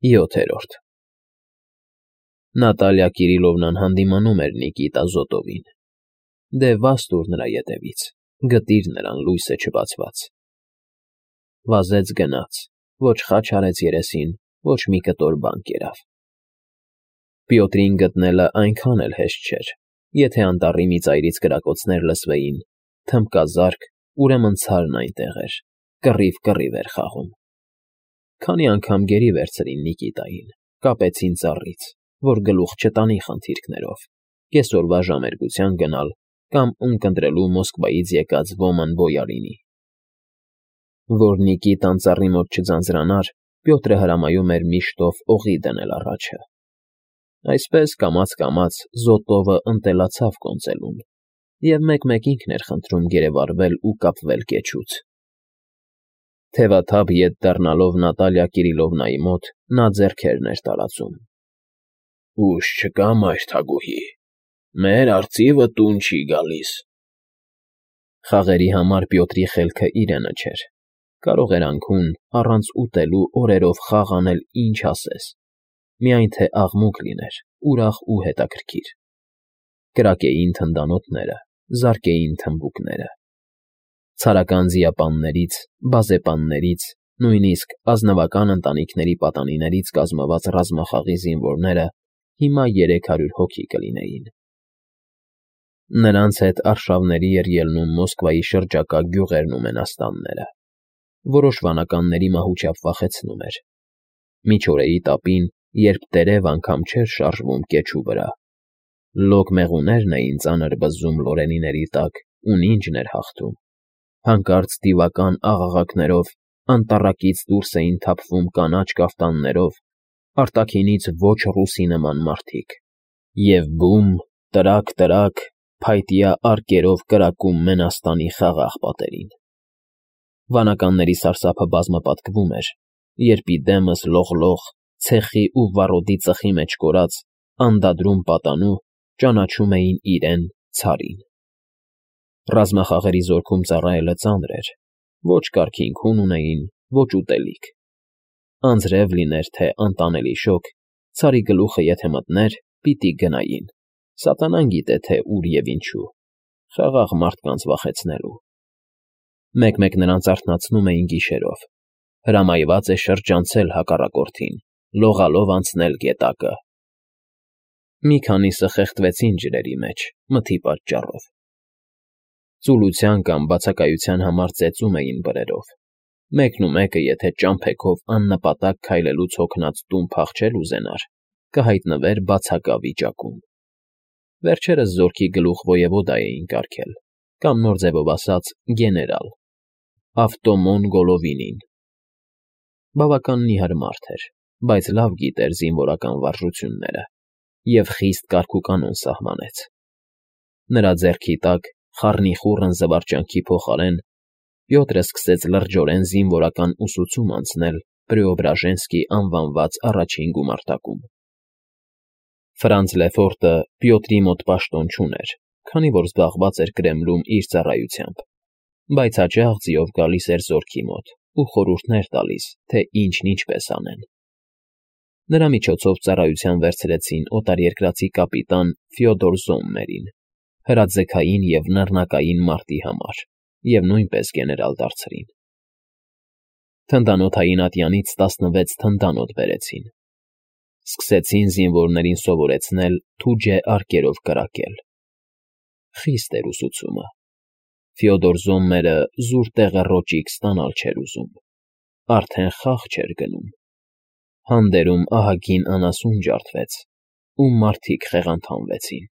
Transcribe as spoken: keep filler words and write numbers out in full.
ՅՈԹԵՐՈՐԴ Նատալիա Կիրիլովնան հանդիմանում էր Նիկիտա Զոտովին։ Դե վաս տուր նրա ետևից, գտիր նրան լույսը չբացված։ Վազեց գնաց, ոչ խաչ արեց երեսին, ոչ մի կտոր բան կերավ։ Պյոտրին գտնելը այնքան էլ հեշտ չէր, եթե անտառի մի ծայրից կրակոցներ լսվեին, թմբկազարկ, ուրեմն ցարն այնտեղ էր, կռիվ֊կռիվ էր խաղում։ Քանի անգամ գերի վերցրին Նիկիտային, կապեցին ծառից, որ գլուխ չտանի խնդիրքներով, կեսօրվա ժամերգության գնալ կամ ունկնդրելու Մոսկվայից եկած ոման բոյարինի։ Որ Նիկիտան ծառի մոտ չձանձրանար, Պյոտրը հրամայում էր միշտով օղի դնել առաջը։ Այսպես կամաց֊կամաց Զոտովը ընտելացավ կոնծելուն և մեկ֊մեկ ինքն էր խնդրում գերեվարվել ու կապվել կեչուց։ Թևաթափ ետ դառնալով Նատալիա Կիրիլովնայի մոտ, նա ձեռքերն էր տարածում։ ֊ Ուժ չկա, մայր թագուհի, մեր արծիվը տուն չի գալիս։ Խաղերի համար Պյոտրի խելքը իրենը չէր, կարող էր անքուն, առանց ուտելու օրերով խաղ անել ինչ ասես, միայն թե աղմուկ լիներ, ուրախ ու հետաքրքիր։ Կրակեին թնդանոթները, զարկեին թմբուկները։ Ցարական ձիապաններից, բազեպաններից, նույնիսկ ազնվական ընտանիքների պատանիներից կազմված ռազմախաղի զինվորները հիմա երեք հարյուր հոգի կլինեին։ Նրանց հետ արշավների էր ելնում Մոսկվայի շրջակա գյուղերն ու մենաստանները։ Որոշ վանականների մահուճապ վախեցնում էր։ Միջօրեի տապին, երբ տերև անգամ չէր շարժվում կեչու վրա, լոկ մեղուներն էին ծանր բզզում լորենիների տակ ու նինջն էր հաղթում, հանկարծ դիվական աղաղակներով անտառակից դուրս էին թափվում կանաչ կաֆտաններով, արտաքինից ոչ ռուսի նման մարդիկ, և բում, տրակ֊տրակ, փայտյա արկերով կրակում մենաստանի խաղաղ պատերին։ Վանականների սարսափը բազմապատկվում էր, երբ ի դեմս լողլող, ցեխի ու վառոդի ծխի մեջ կորած, անդադրում պատանու ճանաչում էին իրեն՝ ցարին։ Ռազմախաղերի զորքում ծառայելը ծանր էր, ոչ կարգին քուն ունեին, ոչ ուտելիք։ Անձրև լիներ, թե անտանելի շոգ, ցարի գլուխը եթե մտներ, պիտի գնային, սատանան գիտե թե ուր և ինչու, խաղաղ մարդկանց վախեցնելու։ Մեկ֊մեկ նրանց արթնացնում էին գիշերով. հրամայված է շրջանցել հակառակորդին, լողալով անցնել գետակը։ Մի քանիսը խեղդվեցին ջրերի մեջ, մթի պատճառով։ Ծուլության կամ բացակայության համար ծեծում էին բրերով, մեկն ու մեկը եթե ճամփեքով աննպատակ քայլելուց հոգնած տուն փախչել ուզենար, կհայտնվեր բացակա վիճակում։ Վերջերս զորքի գլուխ ոևոդա էին կարգել, կամ նոր ձևով ասած՝ գեներալ, Ավտոմոն Գոլովինին։ Բավական նիհար մարդ էր, բայց լավ գիտեր զինվորական վարժությունները և խիստ կարգուկանոն սահմանեց։ Նրա ձեռքի տակ, խառնիխուռն զվարճանքի փոխարեն, Պյոտրը սկսեց լրջորեն զինվորական ուսուցում անցնել Պրեոբրաժենսկի անվանված առաջին գումարտակում։ Ֆրանց Լեֆորտը Պյոտրի մոտ պաշտոն չուներ, քանի որ զբաղված էր Կրեմլում իր ծառայությամբ, բայց հաճախ ձիով գալիս էր զորքի մոտ ու խորհուրդներ տալիս, թե ինչն ինչպես անեն։ Նրա միջոցով ծառայության վերցրեցին օտարերկրացի կապիտան Ֆյոդոր Զոմմերին, հրաձգային և նռնակային մարտի համար, և նույնպես գեներալ դարձրին։ Թնդանոթային ատյանից տասնվեց թնդանոթ բերեցին։ Սկսեցին զինվորներին սովորեցնել թուջե արկերով կրակել։ Խիստ էր ուսուցումը։ Ֆյոդոր Զոմմերը զուր տեղը ռոճիկ ստանալ չէր ուզում, արդեն խաղ չէր գնում։ Հանդերում ահագին անասուն ջարդվեց, ու մարդիկ խեղանթանվեցին։